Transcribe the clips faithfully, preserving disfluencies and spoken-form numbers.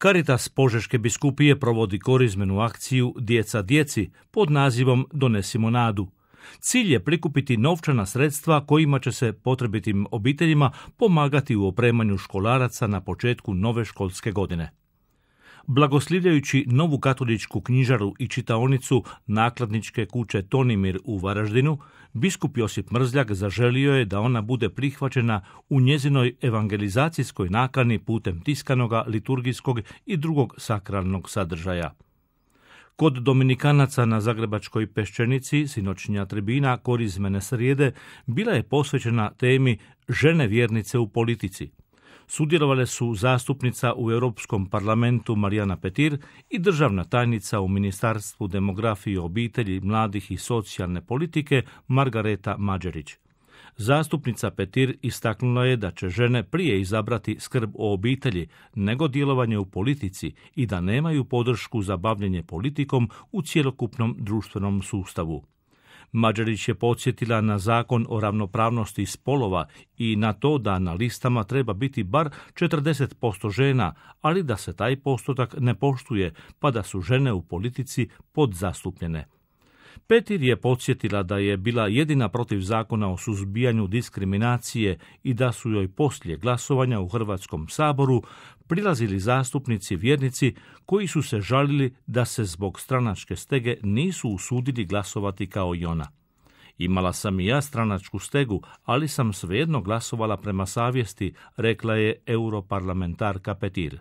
Caritas Požeške biskupije provodi korizmenu akciju Djeca djeci pod nazivom Donesimo nadu. Cilj je prikupiti novčana sredstva kojima će se potrebitim obiteljima pomagati u opremanju školaraca na početku nove školske godine. Blagoslivljajući novu katoličku knjižaru i čitaonicu nakladničke kuće Tonimir u Varaždinu, biskup Josip Mrzljak zaželio je da ona bude prihvaćena u njezinoj evangelizacijskoj nakani putem tiskanoga, liturgijskog i drugog sakralnog sadržaja. Kod Dominikanaca na Zagrebačkoj Peščenici sinoćnja tribina korizmene srijede bila je posvećena temi žene vjernice u politici. Sudjelovale su zastupnica u Europskom parlamentu Marijana Petir i državna tajnica u Ministarstvu demografije, obitelji, mladih i socijalne politike Margareta Mađerić. Zastupnica Petir istaknula je da će žene prije izabrati skrb o obitelji nego djelovanje u politici i da nemaju podršku za bavljenje politikom u cjelokupnom društvenom sustavu. Mađerić je podsjetila na zakon o ravnopravnosti spolova i na to da na listama treba biti bar četrdeset posto žena, ali da se taj postotak ne poštuje, pa da su žene u politici podzastupljene. Petir je podsjetila da je bila jedina protiv zakona o suzbijanju diskriminacije i da su joj poslije glasovanja u Hrvatskom saboru prilazili zastupnici vjernici koji su se žalili da se zbog stranačke stege nisu usudili glasovati kao i ona. Imala sam i ja stranačku stegu, ali sam svejedno glasovala prema savjesti, rekla je europarlamentarka Petir.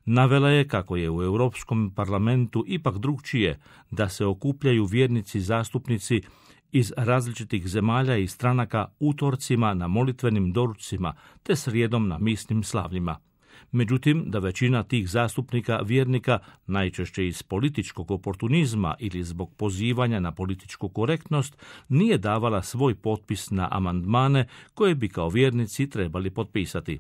Navela je kako je u Europskom parlamentu ipak drukčije, da se okupljaju vjernici zastupnici iz različitih zemalja i stranaka utorcima na molitvenim doručcima te srijedom na misnim slavljima. Međutim, da većina tih zastupnika vjernika, najčešće iz političkog oportunizma ili zbog pozivanja na političku korektnost, nije davala svoj potpis na amandmane koje bi kao vjernici trebali potpisati.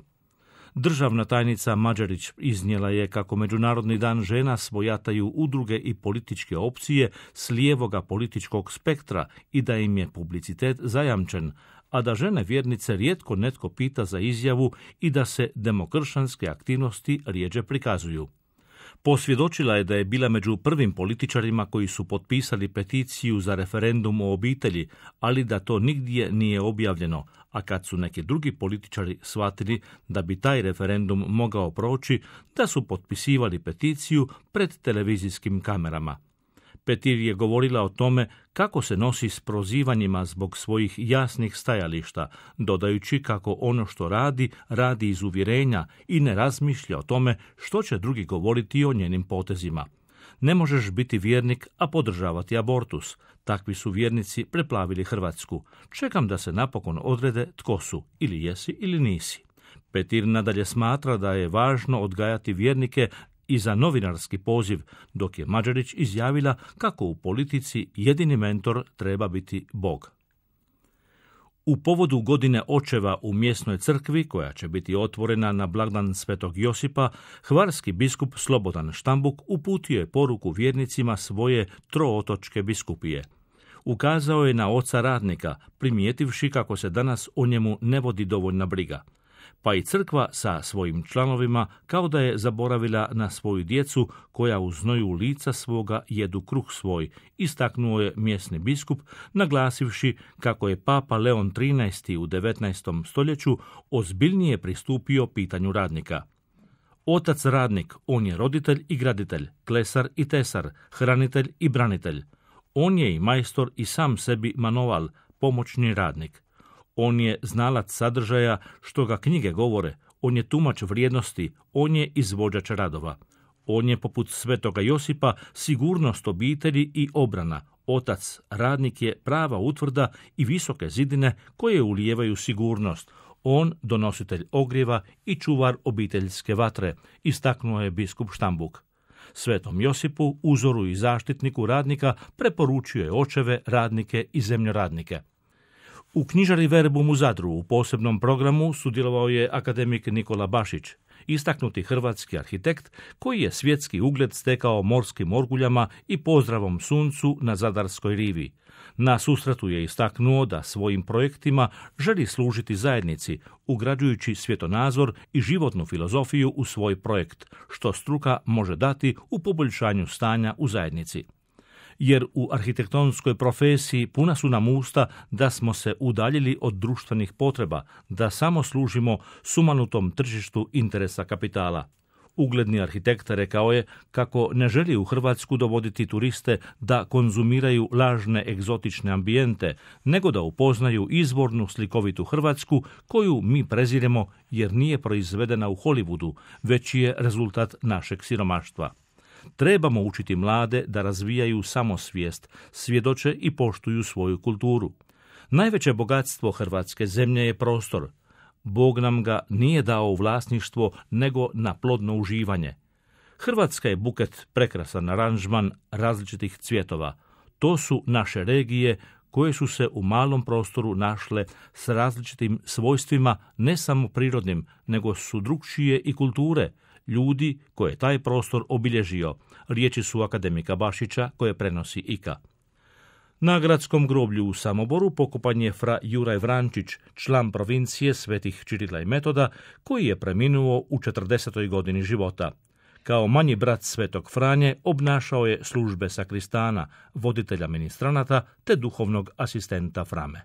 Državna tajnica Mađerić iznijela je kako Međunarodni dan žena svojataju udruge i političke opcije s lijevoga političkog spektra i da im je publicitet zajamčen, a da žene vjernice rijetko netko pita za izjavu i da se demokršćanske aktivnosti rjeđe prikazuju. Posvjedočila je da je bila među prvim političarima koji su potpisali peticiju za referendum o obitelji, ali da to nigdje nije objavljeno, a kad su neki drugi političari shvatili da bi taj referendum mogao proći, da su potpisivali peticiju pred televizijskim kamerama. Petir je govorila o tome kako se nosi s prozivanjima zbog svojih jasnih stajališta, dodajući kako ono što radi, radi iz uvjerenja i ne razmišlja o tome što će drugi govoriti o njenim potezima. Ne možeš biti vjernik, a podržavati abortus. Takvi su vjernici preplavili Hrvatsku. Čekam da se napokon odrede tko su, ili jesi ili nisi. Petir nadalje smatra da je važno odgajati vjernike i za novinarski poziv, dok je Mađerić izjavila kako u politici jedini mentor treba biti Bog. U povodu godine očeva u mjesnoj crkvi, koja će biti otvorena na blagdan Svetog Josipa, hvarski biskup Slobodan Štambuk uputio je poruku vjernicima svoje trootočke biskupije. Ukazao je na oca radnika, primijetivši kako se danas o njemu ne vodi dovoljna briga. Pa i crkva sa svojim članovima kao da je zaboravila na svoju djecu koja u znoju lica svoga jedu kruh svoj, istaknuo je mjesni biskup, naglasivši kako je papa Leon trinaesti u devetnaestom stoljeću ozbiljnije pristupio pitanju radnika. Otac radnik, on je roditelj i graditelj, klesar i tesar, hranitelj i branitelj. On je i majstor i sam sebi manoval, pomoćni radnik. On je znalac sadržaja što ga knjige govore, on je tumač vrijednosti, on je izvođač radova. On je poput Svetoga Josipa sigurnost obitelji i obrana. Otac, radnik je prava utvrda i visoke zidine koje ulijevaju sigurnost. On donositelj ogrijeva i čuvar obiteljske vatre, istaknuo je biskup Štambuk. Svetom Josipu, uzoru i zaštitniku radnika, preporučio je očeve, radnike i zemljoradnike. U knjižari Verbum u Zadru u posebnom programu sudjelovao je akademik Nikola Bašić. istaknuti hrvatski arhitekt koji je svjetski ugled stekao morskim orguljama i pozdravom suncu na Zadarskoj rivi. Na susretu je istaknuo da svojim projektima želi služiti zajednici, ugrađujući svjetonazor i životnu filozofiju u svoj projekt, što struka može dati u poboljšanju stanja u zajednici. Jer u arhitektonskoj profesiji puna su nam usta da smo se udaljili od društvenih potreba, da samo služimo sumanutom tržištu interesa kapitala. Ugledni arhitekt rekao je kako ne želi u Hrvatsku dovoditi turiste da konzumiraju lažne egzotične ambijente, nego da upoznaju izvornu slikovitu Hrvatsku koju mi preziremo jer nije proizvedena u Hollywoodu, već je rezultat našeg siromaštva. Trebamo učiti mlade da razvijaju samosvijest, svjedoče i poštuju svoju kulturu. Najveće bogatstvo hrvatske zemlje je prostor. Bog nam ga nije dao u vlasništvo, nego na plodno uživanje. Hrvatska je buket prekrasan aranžman različitih cvjetova. To su naše regije koje su se u malom prostoru našle s različitim svojstvima, ne samo prirodnim, nego su drukčije i kulture, ljudi koje je taj prostor obilježio. Riječi su akademika Bašića koje prenosi I K A. Na gradskom groblju u Samoboru pokopan je fra Juraj Vrančić, član provincije Svetih Čirila i Metoda, koji je preminuo u četrdesetoj godini života. Kao manji brat Svetog Franje obnašao je službe sakristana, voditelja ministranata te duhovnog asistenta Frame.